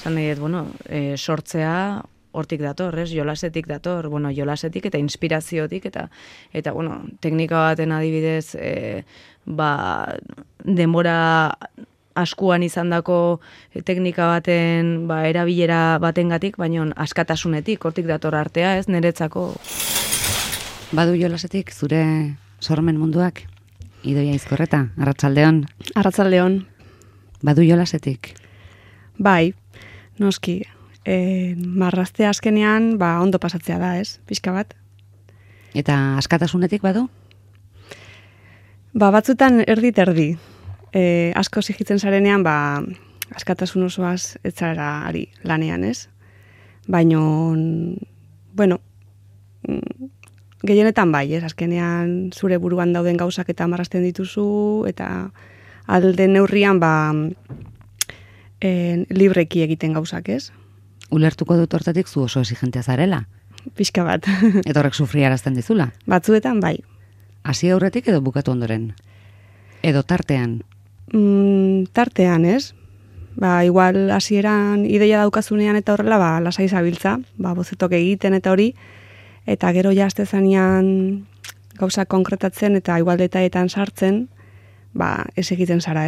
esan nahi dut, sortzea hortik dator, jolasetik dator, jolasetik eta inspiraziotik, eta teknika baten adibidez, denbora askuan izandako teknika baten, erabilera batengatik, baina askatasunetik, hortik dator artea, niretzako. Badu jolasetik zure sormen munduak? Idoia Izkorreta, arratsaldeon. Arratsaldeon. Badu jolasetik? Bai, noski. Marrazte azkenean, ondo pasatzea da, pixka bat. Eta askatasunetik badu? Batzutan erdi. Asko zigitzen zarenean, askatasun osoaz ez zara ari lanean, Baina, gehienetan bai, azkenean zure buruan dauden gauzak eta marrazten dituzu, eta alde neurrian, libreki egiten gauzak, Ulertuko dut hortatik zu oso exigentea zarela? Pixka bat. Eta horrek sufriarazten dizula? Batzuetan bai. Hasi aurretik edo bukatu ondoren? Edo tartean? Tartean, igual hasieran ideia daukazunean eta horrela, lasai zabiltza, bozetok egiten eta hori, eta gero jazte zanean gauza konkretatzen eta igual detaetan sartzen, ez egiten zara,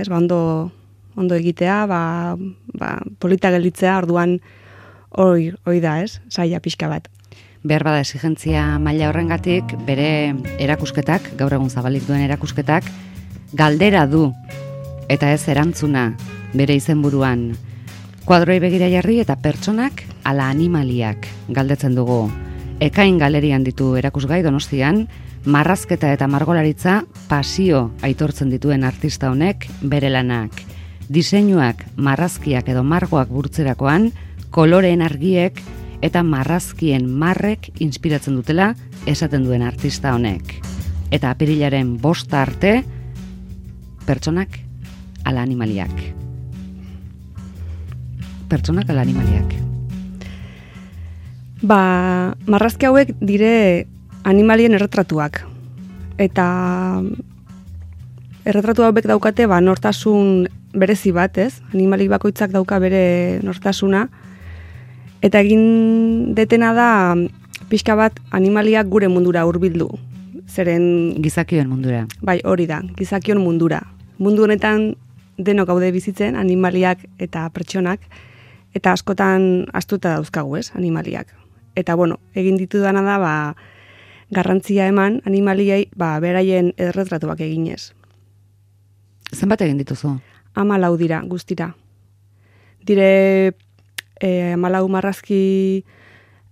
ondo egitea, polita gelditzea, orduan hori da, saia pixka bat. Behar bada exigentzia maila horrengatik, bere erakusketak, gaur egun zabalik duen erakusketak, galdera du, eta ez erantzuna bere izenburuan. Kuadroi begira jarri eta pertsonak ala animaliak galdetzen dugu. Ekain galerian ditu erakusgai Donostian, marrazketa eta margolaritza pasio aitortzen dituen artista honek bere lanak. Diseinuak, marrazkiak edo margoak burtzerakoan, koloreen argiek eta marrazkien marrek inspiratzen dutela esaten duen artista honek. Eta apirilaren 5 arte, pertsonak ala animaliak. Pertsonak ala animaliak. Marrazki hauek dire animalien erretratuak. Eta erretratu hauek daukate nortasun berezi bat, Animali bakoitzak dauka bere nortasuna. Eta egin detena da pixka bat animaliak gure mundura hurbildu. Zeren gizakion mundura. Bai, hori da, gizakion mundura. Mundu honetan denok gaude bizitzen, animaliak eta pertsonak, eta askotan astuta dauzkagu, animaliak. Eta egin ditudana da, garrantzia eman animaliei, beraien erretratuak eginez. Zenbat egin dituzu? 14 dira, guztira. Dire 14 marrazki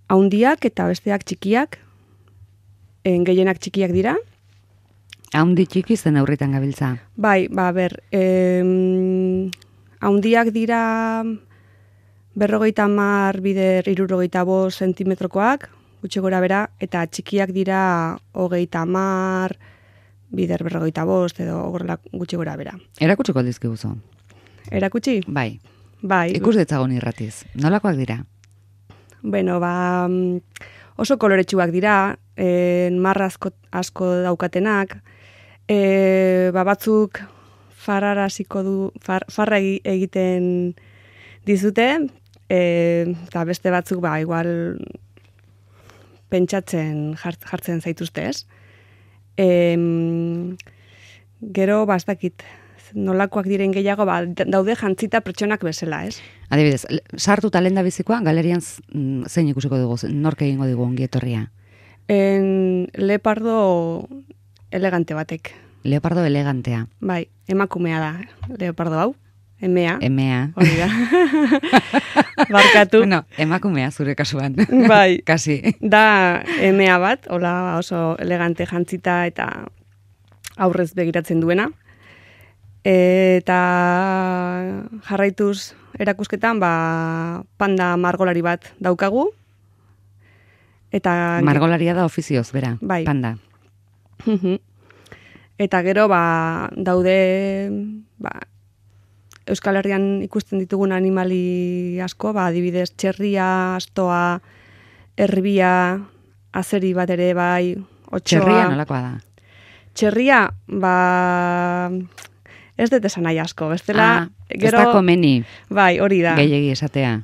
haundiak eta besteak txikiak, gehienak txikiak dira. Haundi txiki zen aurritan gabiltza? Bai, haundiak dira 50 bider 65 zentimetrokoak, gutxi gora bera, eta txikiak dira 30 bider 45 edo gutxi gora bera. Erakutsiko dizkiguzu? Erakutsi? Bai. Bai. Ikus ditzagun irratiz. Nolakoak dira? Oso koloretsuak dira, marra asko daukatenak, batzuk farra egiten dizute, eta beste batzuk igual pentsatzen jartzen zaituzte, Gero, ez dakit, nolakoak diren gehiago, daude jantzita pertsonak bezala, Adibidez, sartu talenda bizikoa, galerian zein ikusiko dugu, nork egingo dugu ongietorria? Leopardo elegante batek. Leopardo elegantea. Bai, emakumea da, leopardo hau. Emea. Hori da. Barkatu. Emakumea zure kasuan. Bai. Kasi. Da emea bat, hola oso elegante jantzita eta aurrez begiratzen duena. Eta jarraituz erakusketan, panda margolari bat daukagu. Eta margolaria da ofizioz, bera, bai. Panda. Eta gero, daude, Euskal Herrian ikusten ditugun animali asko, adibidez, txerria, astoa, erbia, azeri bat ere bai, otsoa. Txerria nolakoa da? Txerria, ez dut esan nahi asko, bestela... Ez da komeni. Bai, hori da. Gehiegi esatea.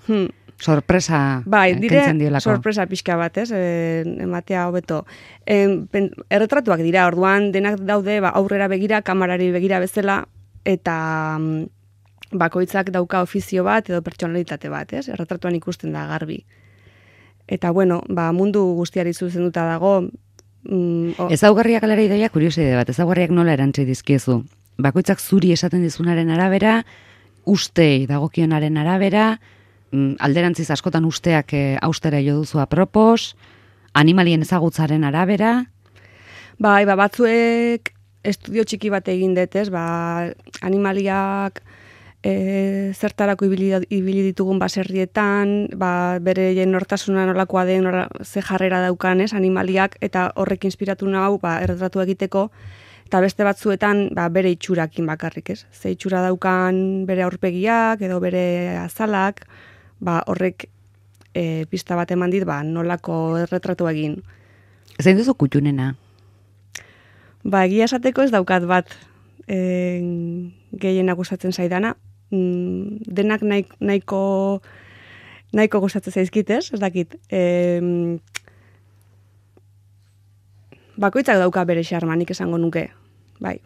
Sorpresa bai, kentzen diolako. Sorpresa pixka bat, ez? Ematea hobeto. Erretratuak dira, orduan denak daude aurrera begira, kamarari begira bezala, eta bakoitzak dauka ofizio bat edo pertsonalitate bat, ez? Erretratuan ikusten da garbi. Eta bueno, mundu guztiari zuzenduta dago. Ezaugarriak alera ideia kurioside bat, ezaugarriak nola erantzi dizkiezu? Bakoitzak zuri esaten dizunaren arabera, ustei dagokionaren arabera, alderantziz askotan usteak austera jo duzu apropos, animalien ezagutzaren arabera? Bai, batzuek estudio txiki bat egin detez, animaliak zertarako ibili ditugun baserrietan, bere nortasuna nolakoa den, ze jarrera daukan, animaliak, eta horrek inspiratu nau, erretratu egiteko, eta beste batzuetan bere itxurakin bakarrik, ez? Ze itxura daukan bere aurpegiak edo bere azalak, horrek pista bat eman dit, nolako erretratu egin. Zein duzu kutxunena? Egia esateko ez daukat bat gehienak gustatzen zaidana. Denak nahiko gustatzen zaizkitez, ez dakit. Bakoitzak dauka bere xarma, nik esango nuke. Bai.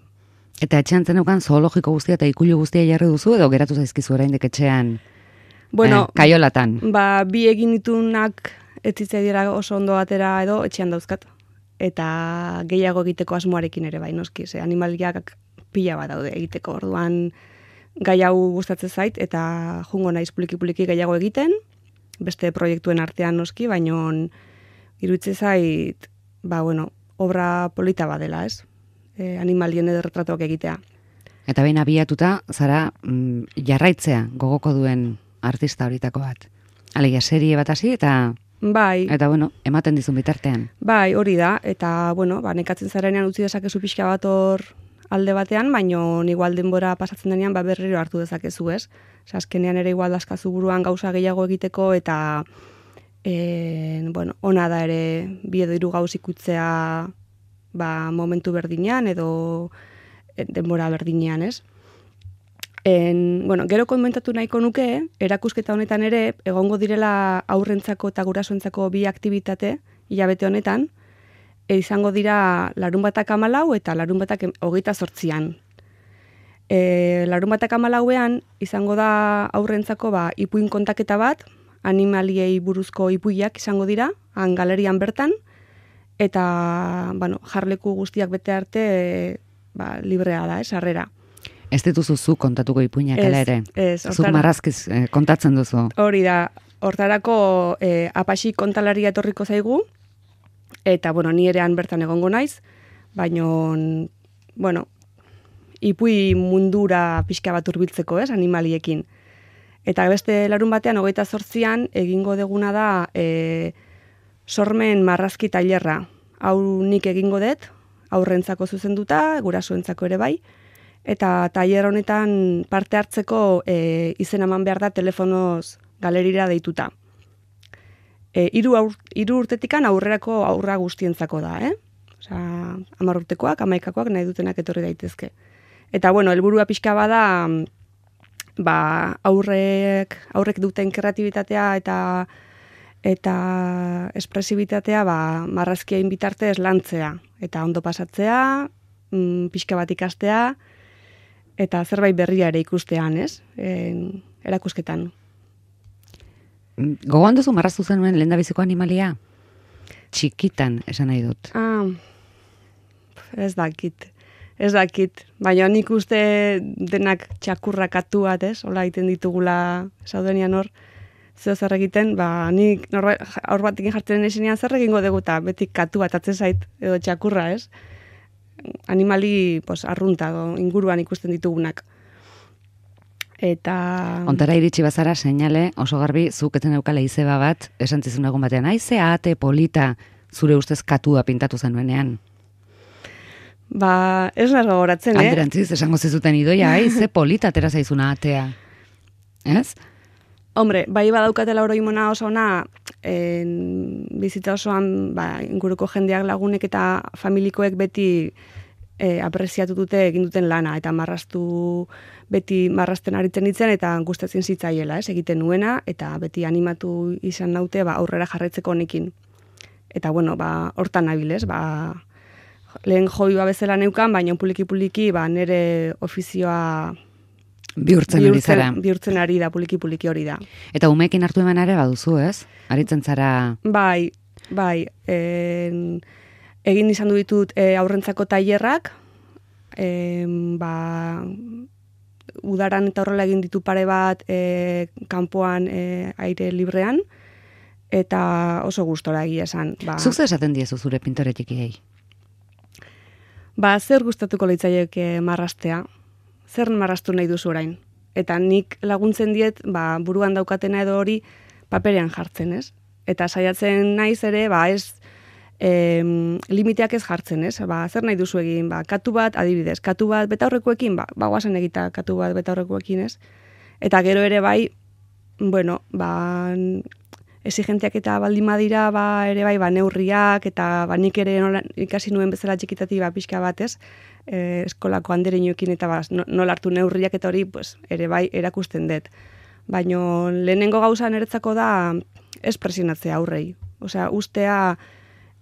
Eta etxean zenukan zoologiko guztia eta ikulu guztia jarri duzu edo geratu zaizkizu oraindik etxean? Bueno, kaiolatan. Bi egin ditunak etzitzea dira oso ondo atera edo etxean dauzkat. Eta gehiago egiteko asmoarekin ere bai, noski. Animaliak pila bat daude egiteko. Orduan gai hau gustatzen zait eta jungo naiz puliki gehiago egiten. Beste proiektuen artean noski, baino iruditzen zait, obra polita badela, ez? Animalien edo retratuak egitea. Eta behin abiatuta, zara jarraitzea gogoko duen artista horitako bat. Alegia, serie bat hasi eta... Bai. Eta, ematen dizun bitartean. Bai, hori da. Eta, nekatzen zarenean utzi dezakezu pixka bat hor alde batean, baino igual denbora pasatzen denean berriro hartu dezakezu, ez? Azkenean ere igual daskazu buruan gauza gehiago egiteko eta ona da ere bi edo hiru gauz ikutzea momentu berdinean edo denbora berdinean, ez? Gero komentatu nahiko nuke, erakusketa honetan ere, egongo direla aurrentzako eta gurasoentzako bi aktibitate, hilabete honetan, izango dira larunbatak 14 eta larunbatak 28an. Larunbatak 14ean izango da aurrentzako ipuin kontaketa bat, animaliei buruzko ipuiak izango dira, han galerian bertan, eta jarleku guztiak bete arte librea da, sarrera. Ez dituzu zu kontatuko ipuinak ala ere? Ez. Zuk marrazkiz kontatzen duzu? Hori da, hortarako Apaxi kontalaria etorriko zaigu, eta ni erean bertan egongo naiz, baino, ipui mundura pixka bat hurbiltzeko, ez, animaliekin. Eta beste larun batean, 28an, egingo deguna da sormen marrazki tailerra. Hau nik egingo dut, aurrentzako zuzenduta, gurasoentzako ere bai, eta tailer honetan parte hartzeko izen eman behar da telefonoz galerira deituta. 3 urtetikan aurrerako aurra guztientzako da, Osea, 10 urtekoak, 11koak nahi dutenak etorri daitezke. Eta helburua pixka bada aurrek duten kreatibitatea eta espresibitatea marrazkien bitartez lantzea eta ondo pasatzea, pixka bat ikastea eta zerbait berria ere ikustean, ez? Erakusketan. Gogoan duzu marraztu zenuen lehendabiziko animalia? Txikitan, esan nahi dut. Ez dakit. Baina nik uste denak txakurrak atu bat, ez? Hola egiten ditugula saudenian hor, zer egiten, nik hor batekin jartzen esenean zer egingo dugu eta beti katu bat atzen zait, edo txakurra, ez? Animali arrunta, inguruan ikusten ditugunak. Eta... Ontara iritsi bazara, seinale, oso garbi, zuk eten eukala izeba bat, esan zizun egun batean, aize ate polita zure ustez katua pintatu zenuenean. Ez nahi gogoratzen, Alderantziz, esango zizuten idoia, aize polita atera zaizuna atea. Ez? Hombre, bai badaukatela oroimona oso ona, bizitza osoan inguruko jendeak lagunek eta familikoek beti apreziatu dute egin duten lana, eta beti marrasten aritzen nintzen, eta gustatzen zitzaiela, egiten nuena, eta beti animatu izan naute, aurrera jarraitzeko honekin. Eta, bueno, hortan nabil, lehen hobi bezala neukan, baina puliki-puliki, nire ofizioa bihurtzen ari da, puliki-puliki hori da. Eta umeekin hartu eman ere baduzu, ez? Aritzen zara... Bai, egin izan ditut aurrentzako tailerrak, udaran eta horrela egin ditu pare bat kanpoan aire librean, eta oso gustora egia esan. Zuk zer esaten diezu zure pintore txikiei? Zer gustatuko leitzaieke marrastea? Zer marrastu nahi duzu orain? Eta nik laguntzen diet, buruan daukatena edo hori paperean jartzen, ez? Eta saiatzen naiz ere, ez limiteak ez jartzen, ez? Zer nahi duzu egin? Katu bat, adibidez, katu bat betaurrekoekin, guazen egita katu bat betaurrekoekin, ez? Eta gero ere bueno, exigenteak eta baldin badira, ere neurriak, eta nik ere ikasi nuen bezala txikitati pixka bat, ez? Eskolako andereinoekin eta nola hartu neurriak eta hori, ere erakusten dut. Baina lehenengo gauza niretzako da ez presionatzea aurrei. Osea, ustea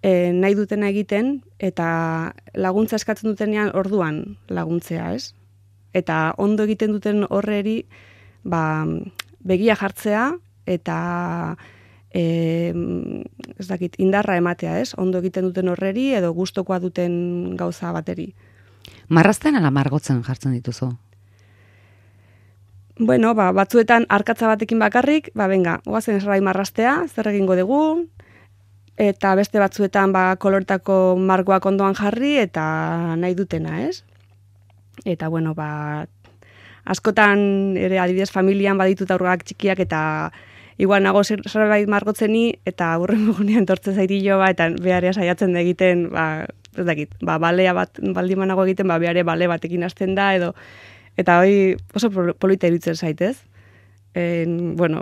nahi dutena egiten, eta laguntza eskatzen dutenean orduan laguntzea, ez? Eta ondo egiten duten horreri, begia jartzea, eta ez dakit, indarra ematea, ez? Ondo egiten duten horreri, edo gustokoa duten gauza bateri. Marrazten ala margotzen jartzen dituzu? Bueno, batzuetan arkatza batekin bakarrik, benga, oazen esrai marraztea, zer egingo dugu, eta beste batzuetan koloretako margoak ondoan jarri, eta nahi dutena, ez? Eta, bueno, askotan ere adibidez familian baditut aurrak txikiak, eta igual nago zerbait margotzeni, eta aurren gunean tortzen zaitillo, eta beharea saiatzen da egiten, ez dakit, balea bat baldin nago egiten, behare bale batekin hasten da, edo, eta hori oso polita iruditzen zaitez. Bueno,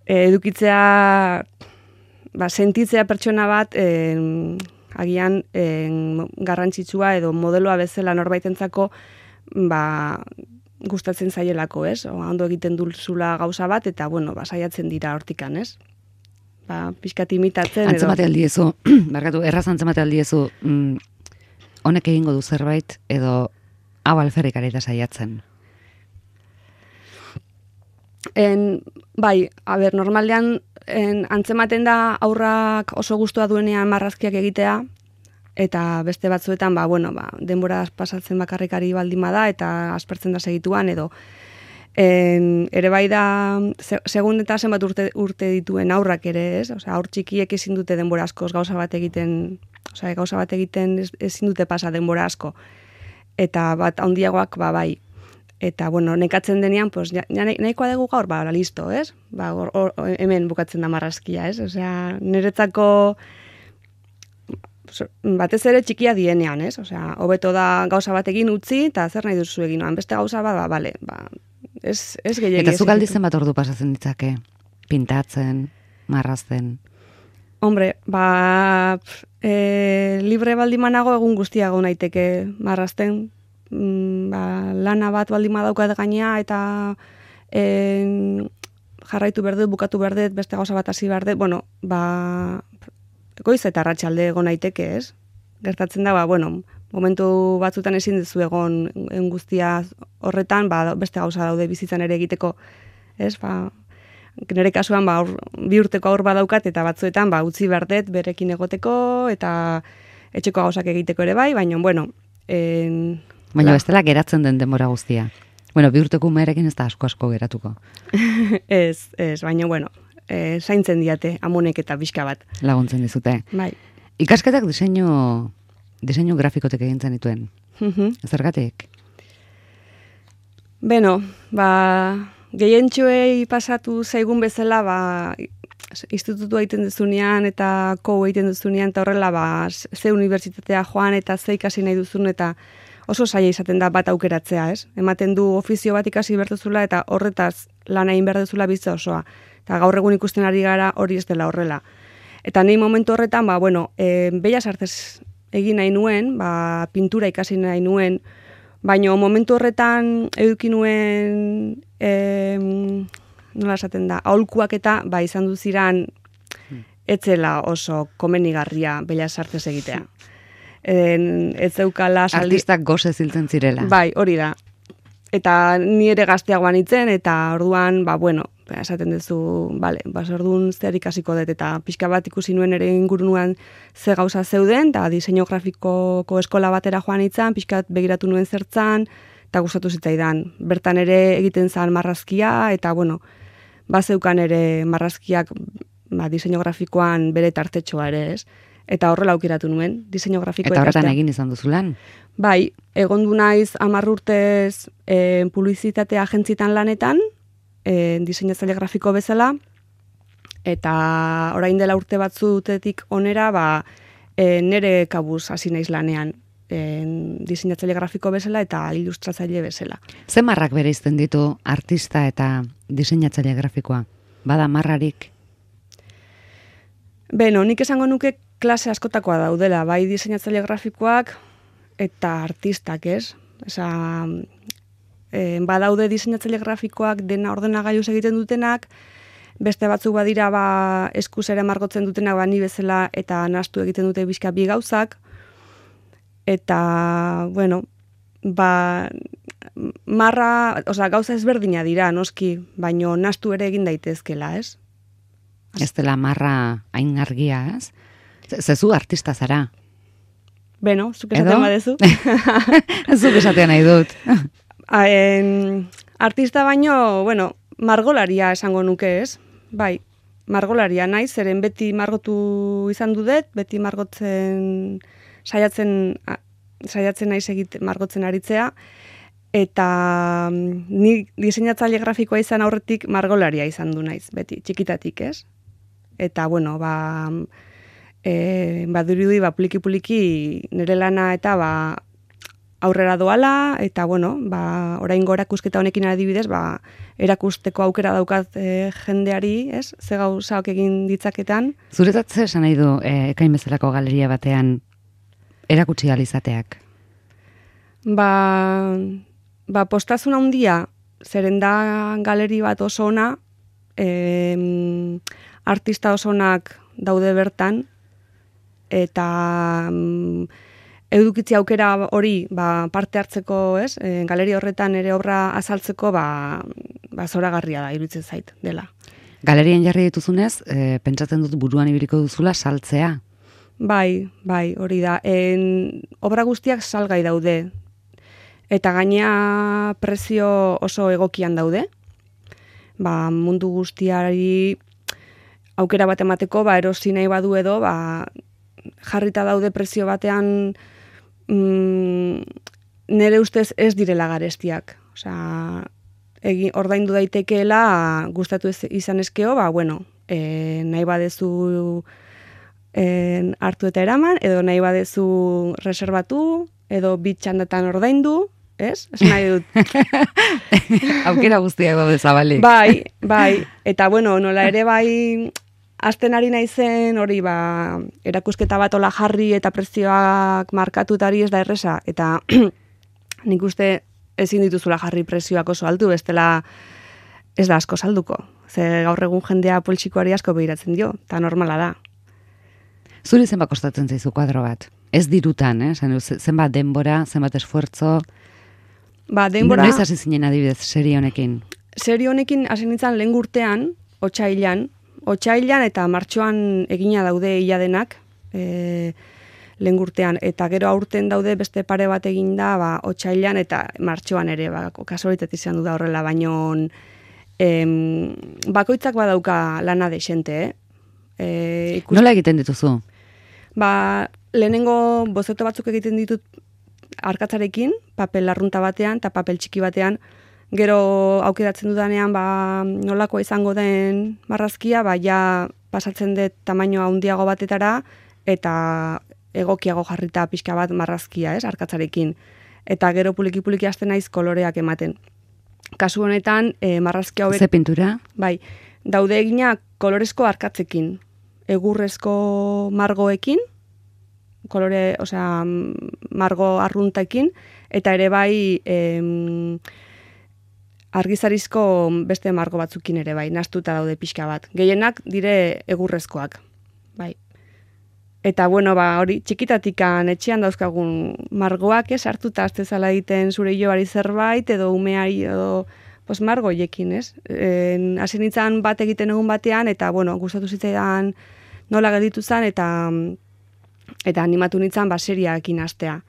edukitzea, sentitzea pertsona bat, agian garrantzitsua edo modeloa bezala norbaitentzako, gustatzen zaielako, ez? Ondo egiten duzula gauza bat, eta, bueno, saiatzen dira hortikan, ez? Pixkat imitatzen, edo... Antzemate aldiezu, erraz antzemate aldiezu, honek egingo du zerbait, edo hau alferrik areta saiatzen? Normalean antzematen da aurrak oso gustua duenean marrazkiak egitea, eta beste batzuetan, denbora pasatzen bakarrikari baldin bada, eta aspertzen da segituan, edo ere da, segun eta zenbat urte dituen aurrak ere, ez? Osea, aur txikiek ezin dute denbora askoz gauza bat egiten ezin dute pasa denbora asko. Eta bat handiagoak, bai. Eta, bueno, nekatzen denean, nahikoa dugu gaur, listo, ez? Hemen bukatzen da marrazkia, ez? Osea, niretzako batez ere txikia dienean, ez? Osea, hobeto da gauza bat egin utzi, eta zer nahi duzu egin, beste gauza bale, ez gehiagia. Eta zuk aldizen bat ordu pasatzen ditzake? Pintatzen, marrazten? Hombre, libre baldimanago egun guztiago naiteke marrazten, lana bat baldima daukat gainea, eta jarraitu berdet, bukatu berdet, beste gauza bat hasi berdet, bueno, goiz eta arratsalde egon naiteke, ez? Gertatzen da, momentu batzutan ezin duzu egon guztia horretan, beste gauza daude bizitzan ere egiteko, ez? Nire kasuan, 2 urteko aur badaukat, eta batzuetan, utzi berdet berekin egoteko, eta etxeko gauzak egiteko ere bai, baina, bueno... Baina bestela geratzen den denbora guztia. 2 urteko umearekin ez da asko geratuko. Ez, baina, bueno, zaintzen diate, amonek eta pixka bat. Laguntzen dizute. Bai. Ikasketak diseinu grafikotek egintzen dituen. Zergatik? Beno, gehientxoei pasatu zaigun bezala, institutua egiten duzunean eta egiten duzunean, eta horrela, ze unibertsitatea joan eta ze ikasi nahi duzun, eta oso zaila izaten da bat aukeratzea, ez? Ematen du ofizio bat ikasi berduzula, eta horretaz lan egin berduzula bizitza osoa. Eta gaur egun ikusten ari gara hori ez dela horrela. Eta nahi momentu horretan, Bellas Artes egin nahi nuen, pintura ikasi nahi nuen, baina momentu horretan eduki nuen, nola esaten da, aholkuak eta izan duziran etzela oso komenigarria Bellas Artes egitea. Ez zeukala artistak goze ziltzen zirela. Bai, hori da. Eta ni ere gazteagoan itzen, eta orduan, esaten duzu, orduan zer ikasiko dut, eta pixka bat ikusi nuen ere ingurunuan ze gauza zeuden, eta diseinu grafikoko eskola batera joan itzan, pixka bat begiratu nuen zertzan, eta gustatu zitzaidan. Bertan ere egiten zan marrazkia, eta bazeukan ere marrazkiak diseinu grafikoan bere tartetxoa ere, ez? Eta horrela aukeratu nuen, diseinu grafikoa. Eta horretan egin izan duzu lan? Bai, egondu naiz 10 urtez publizitate agentzitan lanetan, diseinatzaile grafiko bezala, eta orain dela urte batzutetik onera, nere kabuz hasi naiz lanean, diseinatzaile grafiko bezala eta ilustratzaile bezala. Ze marrak bereizten ditu artista eta diseinatzaile grafikoa? Bada marrarik? Beno, nik esango nuke klase askotakoa daudela, bai diseinatzaile grafikoak eta artistak, ez? Badaude diseinatzaile grafikoak dena ordenagailuz egiten dutenak, beste batzuk badira eskuz ere margotzen dutenak ni bezala eta nahastu egiten dute bizka bi gauzak, eta, marra, gauza ezberdina dira, noski, baino nahastu ere egin daitezkela, ez? Ez dela marra hain argia, ez? Zezu artista zara. Beno, zuk esaten badezu. Zuk esaten nahi dut. Artista baino, margolaria esango nuke, ez? Bai, margolaria naiz, zeren beti margotu izan dudet, beti margotzen saiatzen naiz margotzen aritzea, eta ni diseinatzaile grafikoa izan aurretik margolaria izan du naiz, beti, txikitatik, ez? Eta, badurudi puliki nire lana eta aurrera doala, eta oraingo erakusketa honekin adibidez, erakusteko aukera daukat jendeari, ez? Ze gauzak egin ditzaketan. Zuretzat zer esan nahi du Ekain bezalako galeria batean erakutsi alizateak? Postazuna handia, zeren da galeri bat oso ona, artista oso onak daude bertan, eta edukitzi aukera hori parte hartzeko, ez? Galeria horretan ere obra azaltzeko zoragarria da, iruditzen zait dela. Galerien jarri dituzunez, pentsatzen dut buruan ibiliko duzula saltzea? Bai, hori da. Obra guztiak salgai daude, eta gaina prezio oso egokian daude. Mundu guztiari aukera bat emateko, erosi nahi badu edo, jarrita daude prezio batean nire ustez ez direla garestiak. Ordaindu daitekeela gustatu izan eskeo, nahi badezu hartu eta eraman, edo nahi badezu reservatu, edo bitxandatan ordaindu, ez? Esan nahi dut. Aukera guztiak daude zabalik. Bai. Eta, nola ere azten ari naizen hori erakusketa bat ola jarri eta prezioak markatutari ez da erresa. Eta nik uste ezin dituzula jarri prezioak oso altu, bestela ez da asko salduko. Ze gaur egun jendea poltsikoari asko behiratzen dio, eta normala da. Zuri zenbat kostatzen zaizu kuadro bat? Ez dirutan, zenbat denbora, zenbat esfuerzo. Denbora... Noiz hasi zinen adibidez serie honekin? Serie honekin hasi nintzen lehen urtean, otsailean eta martxoan egina daude ia denak, lehen urtean, eta gero aurten daude beste pare bat eginda, otsailean eta martxoan ere, kasualitate izan du da horrela, baino bakoitzak badauka lana desente, Nola egiten dituzu? Lehenengo bozeto batzuk egiten ditut arkatzarekin, papel arrunta batean eta papel txiki batean, gero aukeratzen dudanean nolakoa izango den marrazkia, ja pasatzen dut tamainoa handiago batetara eta egokiago jarrita pixka bat marrazkia, ez, arkatzarekin. Eta gero puliki hasten naiz koloreak ematen. Kasu honetan, marrazkia hobek... Ze pintura? Bai, daude egina kolorezko arkatzekin, egurrezko margoekin, kolore, margo arruntekin, eta ere bai argizarizko beste margo batzukin ere bai, nastuta daude pixka bat. Gehienak dire egurrezkoak, bai. Eta, hori, txikitatikan etxean dauzkagun margoak, hartuta aztezala egiten zure hilobari zerbait, edo umeari, edo margoiekin, ez? Hasi nintzen bat egiten egun batean, eta, gustatu zitzaidan nola gelditu zen, eta animatu nintzen, seriaekin hastea.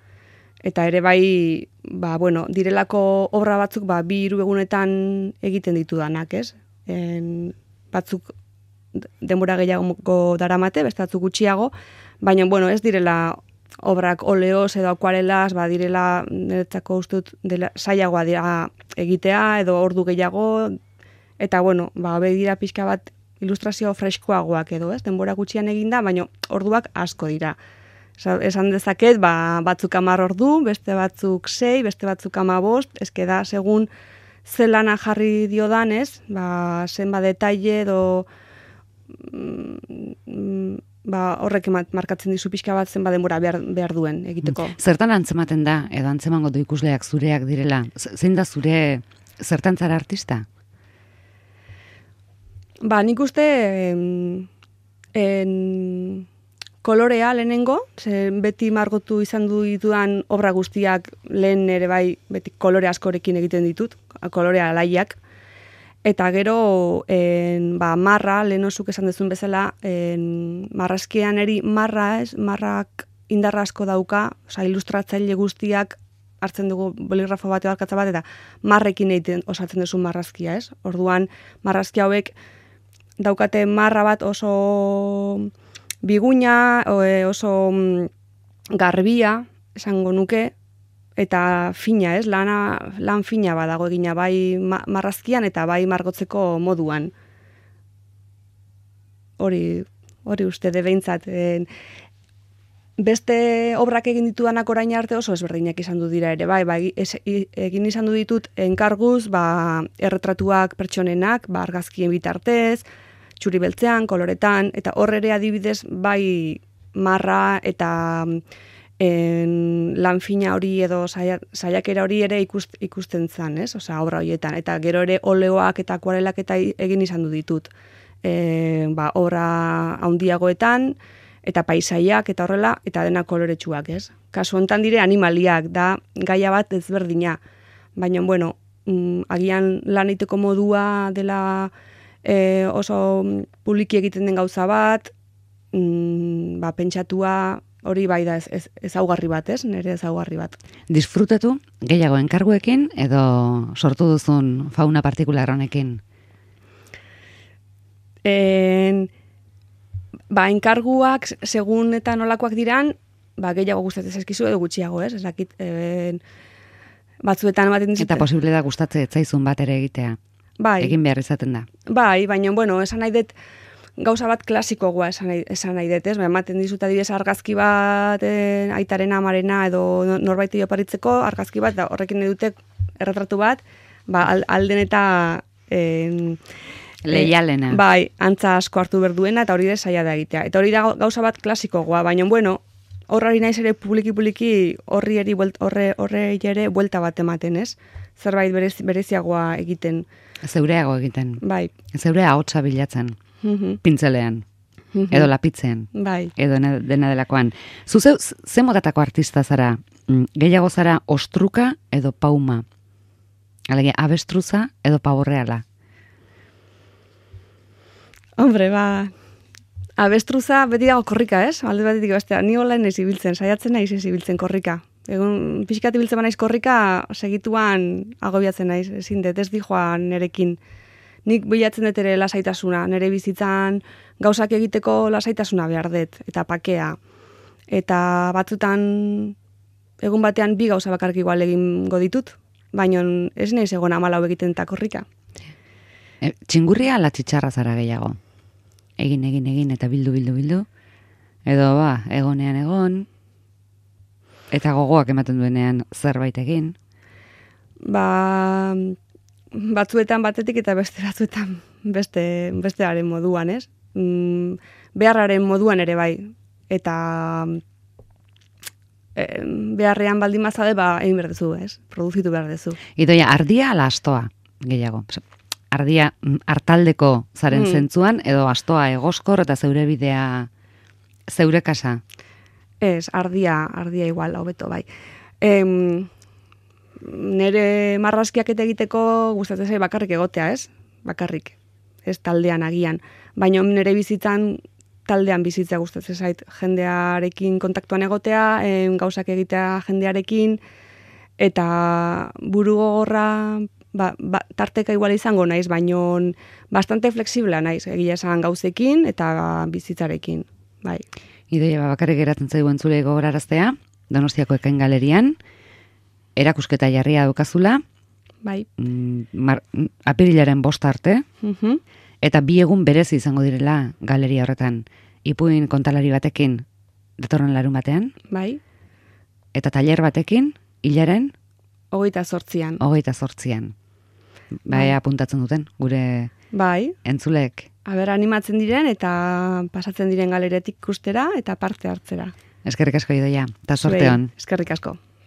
Eta ere bai, direlako obra batzuk, 2-3 egunetan egiten ditudanak, ez? Batzuk denbora gehiago daramate, beste batzuk gutxiago, baina, ez direla obrak oleoz edo akuarelaz, direla, niretzako ustut, zailagoa dira egitea, edo ordu gehiago, eta, hobe dira pixka bat ilustrazio freskoagoak edo, ez? Denbora gutxian eginda, baina orduak asko dira. Esan dezaket, batzuk 10 ordu, beste batzuk 6, beste batzuk 15, eske da, segun zelana jarri diodan, ez? Zenba detaile edo horrek markatzen dizu pixka bat zenba denbora behar duen egiteko. Zertan antzematen da, edo antzemango du ikusleak zureak direla? Zein da zure zertan zara artista? Nik uste kolorea lehenengo, beti margotu izan ditudan obra guztiak lehen ere bai, beti kolore askorekin egiten ditut, kolorea alaiak, eta gero marra, lehen osuk esan dezun bezala, marrazkian eri marrak indarra asko dauka, ilustratzaile guztiak hartzen dugu boligrafo bat edo arkatza bat, eta marrekin egiten osatzen duzu marrazkia, ez? Orduan, marrazki hauek daukate marra bat oso biguina, oso garbia, esango nuke, eta fina, ez? Lan fina badago egina, bai marrazkian eta bai margotzeko moduan. Hori uste de behintzat. Beste obrak egin ditudanak orain arte oso ezberdinak izan du dira ere, bai, egin izan du ditut enkarguz, erretratuak pertsonenak, argazkien bitartez, txuri beltzean, koloretan, eta horre ere adibidez, bai marra eta lan fina hori edo saiakera hori ere ikusten zen, ez? Obra horietan, eta gero ere oleoak eta akuarelak eta egin izan du ditut. Obra handiagoetan, eta paisaiak eta horrela, eta dena koloretsuak, ez? Kasu hontan dire animaliak, da gaia bat ezberdina. Baina, agian lan egiteko modua dela oso publiki egiten den gauza bat, pentsatua hori bai da ezaugarri bat, ez? Nire ezaugarri bat. Disfrutatu gehiago enkarguekin edo sortu duzun fauna partikular honekin? Enkarguak, segun eta nolakoak diran, gehiago gustatzen zaizkizu edo gutxiago, ez? Ezakit, batzuetan ematen dizute. Eta posible da gustatzen etzaizun bat ere egitea. Bai. Egin behar izaten da. Bai, baina, esan nahi dut, gauza bat klasikoa esan nahi dut, ez? Ematen dizut adibidez argazki bat aitarena, amarena edo norbaiti oparitzeko argazki bat, da horrekin edute erretratu bat, alden eta leialena. Bai, antza asko hartu berduena eta hori da saia da egitea. Eta hori da gauza bat klasikoa, baina horrari naiz ere publiki horri ere buelta bat ematen, ez? Zerbait bereziagoa egiten. Zeureago egiten. Bai. Zeurea ahotsa bilatzen. Pintzelean. Edo lapitzean. Bai. Edo dena delakoan. Zuzeu, ze motatako artista zara? Gehiago zara ostruka edo pauma? Alegia, abestruza edo paborreala? Hombre, abestruza beti dago korrika, ez? Alde batetik bestea, ni hola naiz ibiltzen, saiatzen naiz ibiltzen korrika. Egun pixkat ibiltzen naiz korrika, segituan agobiatzen naiz, ezin dut, ez dijoan nerekin. Nik bilatzen dut ere lasaitasuna, nere bizitzan gauzak egiteko lasaitasuna behar dut, eta pakea. Eta batzutan egun batean 2 gauza bakarrik igual egingo ditut, baina ez naiz egon 14 egiten eta korrika. Txingurria ala txitxarra zara gehiago? Egin, eta bildu. Edo egonean egon, eta gogoak ematen duenean zerbait egin. Batzuetan batetik eta beste batzuetan bestearen moduan, ez? Beharraren moduan ere bai. Eta beharrean baldin bazade, egin behar duzu, ez? Produzitu behar duzu. Idoia, ardia ala astoa, gehiago? Ardia hartaldeko zaren zentzuan, edo astoa egoskor eta zeure bidea, zeure kasa? Ez, ardia igual, hobeto, bai. Nere marrazkiak eta egiteko gustatzen zait bakarrik egotea, ez? Bakarrik, ez taldean agian. Baina nere bizitzan taldean bizitzea gustatzen zait, jendearekin kontaktuan egotea, gauzak egitea jendearekin, eta buru gogorra tarteka igual izango naiz, baino bastante flexiblea naiz, egia esan gauzekin eta bizitzarekin, bai. Idoia, bakarrik geratzen zaigu entzule gogoraraztea, Donostiako Ekain Galerian, erakusketa jarria daukazula, bai. Apirilaren 5 arte, eta 2 egun berezi izango direla galeria horretan. Ipuin kontalari batekin datorren larun batean, bai. Eta tailer batekin, hilaren 28an. Bai, apuntatzen duten, gure entzulek. Aber, animatzen diren eta pasatzen diren galeretik ikustera eta parte hartzera. Eskerrik asko, Idoia, eta sorte on. Eskerrik asko.